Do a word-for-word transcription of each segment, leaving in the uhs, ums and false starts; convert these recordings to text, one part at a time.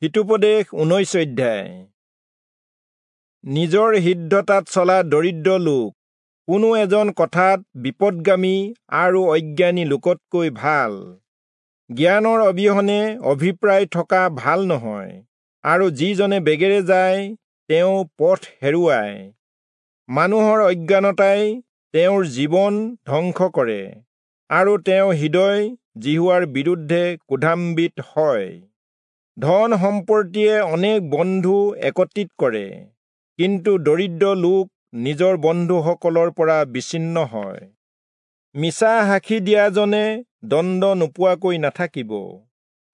হিতোপদেশ ঊনৈশ অধ্যায়। নিজৰ সিদ্ধতাত চলা দৰিদ্ৰ লোক কোনো এজন কথাত বিপদগামী আৰু অজ্ঞানী লোকতকৈ ভাল। জ্ঞানৰ অবিহনে অভিপ্ৰায় থকা ভাল নহয়, আৰু যিজনে বেগেৰে যায় তেওঁ পথ হেৰুৱায়। মানুহৰ অজ্ঞানতাই তেওঁৰ জীৱন ধ্বংস কৰে, আৰু তেওঁ হৃদয় যিহোৱাৰ বিৰুদ্ধে ক্ৰোধান্বিত হয়। ধন সম্পত্তিয়ে অনেক বন্ধু একত্ৰিত কৰে, কিন্তু দৰিদ্ৰ লোক নিজৰ বন্ধুসকলৰ পৰা বিচ্ছিন্ন হয়। মিছা সাক্ষী দিয়াজনে দণ্ড নোপোৱাকৈ নাথাকিব,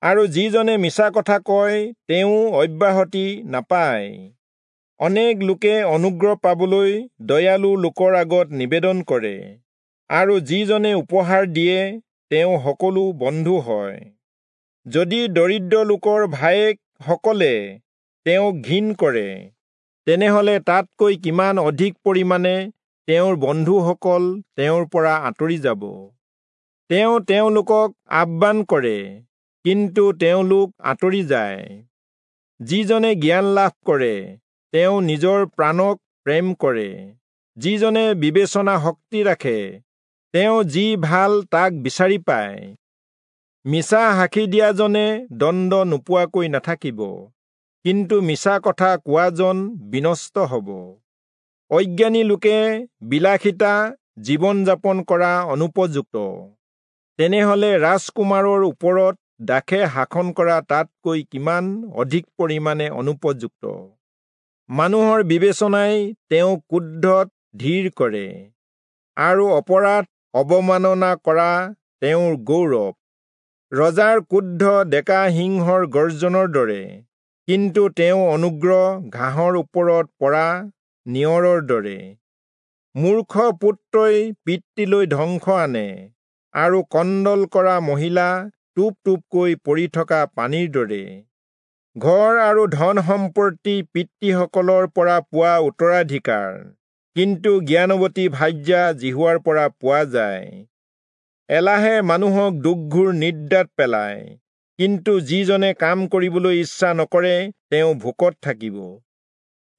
আৰু যিজনে মিছা কথা কয় তেওঁ অব্যাহতি নাপায়। অনেক লোকে অনুগ্ৰহ পাবলৈ দয়ালু লোকৰ আগত নিবেদন কৰে, আৰু যিজনে উপহাৰ দিয়ে তেওঁ সকলো বন্ধু হয়। যদি দৰিদ্ৰ লোকৰ ভায়েকসকলে তেওঁক ঘিণ কৰে, তেনেহলে তাতকৈ কিমান অধিক পৰিমাণে তেওঁৰ বন্ধুসকল তেওঁৰ পৰা আঁতৰি যাব। তেওঁ তেওঁলোকক আহ্বান কৰে, কিন্তু তেওঁলোক আঁতৰি যায়। যিজনে জ্ঞান লাভ কৰে তেওঁ নিজৰ প্ৰাণক প্ৰেম কৰে। যিজনে বিবেচনা শক্তি ৰাখে তেওঁ যি ভাল তাক বিচাৰি পায়। মিছা সাক্ষী দিয়াজনে দণ্ড নোপোৱাকৈ নাথাকিব, কিন্তু মিছা কথা কোৱাজন বিনষ্ট হ'ব। অজ্ঞানী লোকে বিলাসিতা জীৱন যাপন কৰা অনুপযুক্ত, তেনেহলে ৰাজকুমাৰৰ ওপৰত দাসে শাসন কৰা তাতকৈ কিমান অধিক পৰিমাণে অনুপযুক্ত। মানুহৰ বিবেচনাই তেওঁক ক্ৰোধত ধীৰ কৰে, আৰু অপৰাধ অৱমাননা কৰা তেওঁৰ গৌৰৱ। ৰজাৰ ক্ৰোধ ডেকা সিংহৰ গৰ্জনৰ দৰে, কিন্তু তেওঁ অনুগ্ৰহ ঘাঁহৰ ওপৰত পৰা নিয়ৰৰ দৰে। মূৰ্খ পুত্ৰই পিতৃলৈ ধ্বংস আনে, আৰু কন্দল কৰা মহিলা টোপ টোপকৈ পৰি থকা পানীৰ দৰে। ঘৰ আৰু ধন সম্পত্তি পিতৃসকলৰ পৰা পোৱা উত্তৰাধিকাৰ, কিন্তু জ্ঞানৱতী ভাৰ্যা যিহোৱাৰ পৰা পোৱা যায়। এলাহে মানুহক দুৰ্ঘোৰ নিদ্ৰাত পেলায়, কিন্তু যিজনে কাম কৰিবলৈ ইচ্ছা নকৰে তেওঁ ভোকত থাকিব।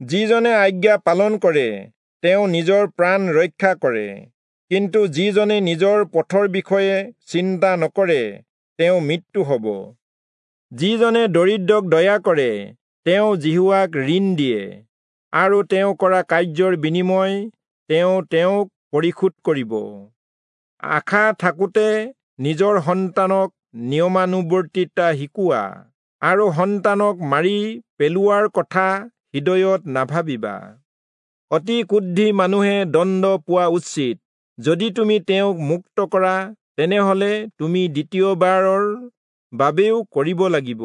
যিজনে আজ্ঞা পালন কৰে তেওঁ নিজৰ প্ৰাণ ৰক্ষা কৰে, কিন্তু যিজনে নিজৰ পথৰ বিষয়ে চিন্তা নকৰে তেওঁ মৃত্যু হ'ব। যিজনে দৰিদ্ৰক দয়া কৰে তেওঁ যিহোৱাক ঋণ দিয়ে, আৰু তেওঁ কৰা কাৰ্যৰ বিনিময় তেওঁ তেওঁক পৰিশোধ কৰিব। আশা থাকোঁতে নিজৰ সন্তানক নিয়মানুৱৰ্তিতা শিকোৱা, আৰু সন্তানক মাৰি পেলোৱাৰ কথা হৃদয়ত নাভাবিবা। অতি ক্ৰোধী মানুহে দণ্ড পোৱা উচিত। যদি তুমি তেওঁক মুক্ত কৰা, তেনেহলে তুমি দ্বিতীয়বাৰৰ বাবেও কৰিব লাগিব।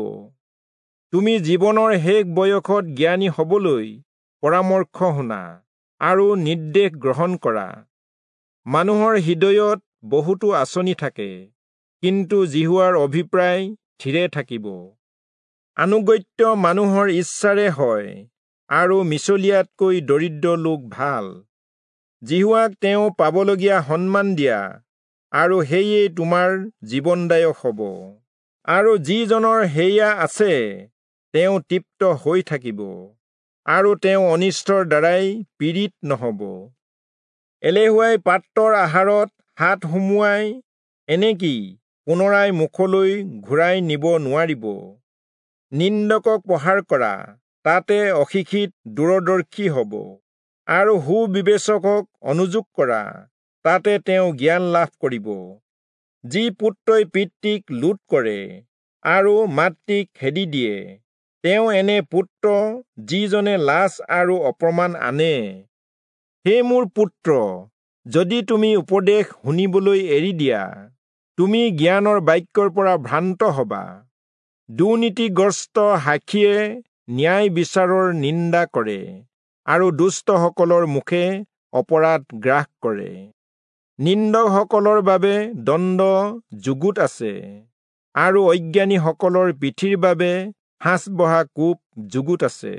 তুমি জীৱনৰ শেষ বয়সত জ্ঞানী হবলৈ পৰামৰ্শ শুনা আৰু নিৰ্দেশ গ্ৰহণ কৰা। মানুহৰ হৃদয়ত বহুতো আঁচনি থাকে, কিন্তু যিহোৱাৰ অভিপ্ৰায় থিৰে থাকিব। আনুগত্য মানুহৰ ইচ্ছাৰে হয়, আৰু মিছলীয়াতকৈ দৰিদ্ৰ লোক ভাল। যিহোৱাক তেওঁ পাবলগীয়া সন্মান দিয়া, আৰু সেয়ে তোমাৰ জীৱনদায়ক হ'ব। আৰু যিজনৰ সেয়া আছে তেওঁ তৃপ্ত হৈ থাকিব, আৰু তেওঁ অনিষ্টৰ দ্বাৰাই পীড়িত নহ'ব। এলেহুৱাই পাত্ৰৰ আহাৰত হাত সুমুৱাই, এনেকি পুনৰাই মুখলৈ ঘূৰাই নিব নোৱাৰিব। নিন্দকক প্ৰহাৰ কৰা, তাতে অশিক্ষিত দূৰদৰ্শী হ'ব, আৰু সুবিবেচকক অনুযোগ কৰা, তাতে তেওঁ জ্ঞান লাভ কৰিব। যি পুত্ৰই পিতৃক লুট কৰে আৰু মাতৃক খেদি দিয়ে, তেওঁ এনে পুত্ৰ যিজনে লাজ আৰু অপমান আনে। হে মোৰ পুত্ৰ, যদি তুমি উপদেশ শুনিবলৈ এৰি দিয়া, তুমি জ্ঞানৰ বাক্যৰ পৰা ভ্ৰান্ত হবা। দুৰ্নীতিগ্ৰস্ত সাক্ষীয়ে ন্যায় বিচাৰৰ নিন্দা কৰে, আৰু দুষ্টসকলৰ মুখে অপৰাধ গ্ৰাস কৰে। নিন্দকসকলৰ বাবে দণ্ড যুগুত আছে, আৰু অজ্ঞানীসকলৰ পিঠিৰ বাবে সাঁচ বহা কোপ যুগুত আছে।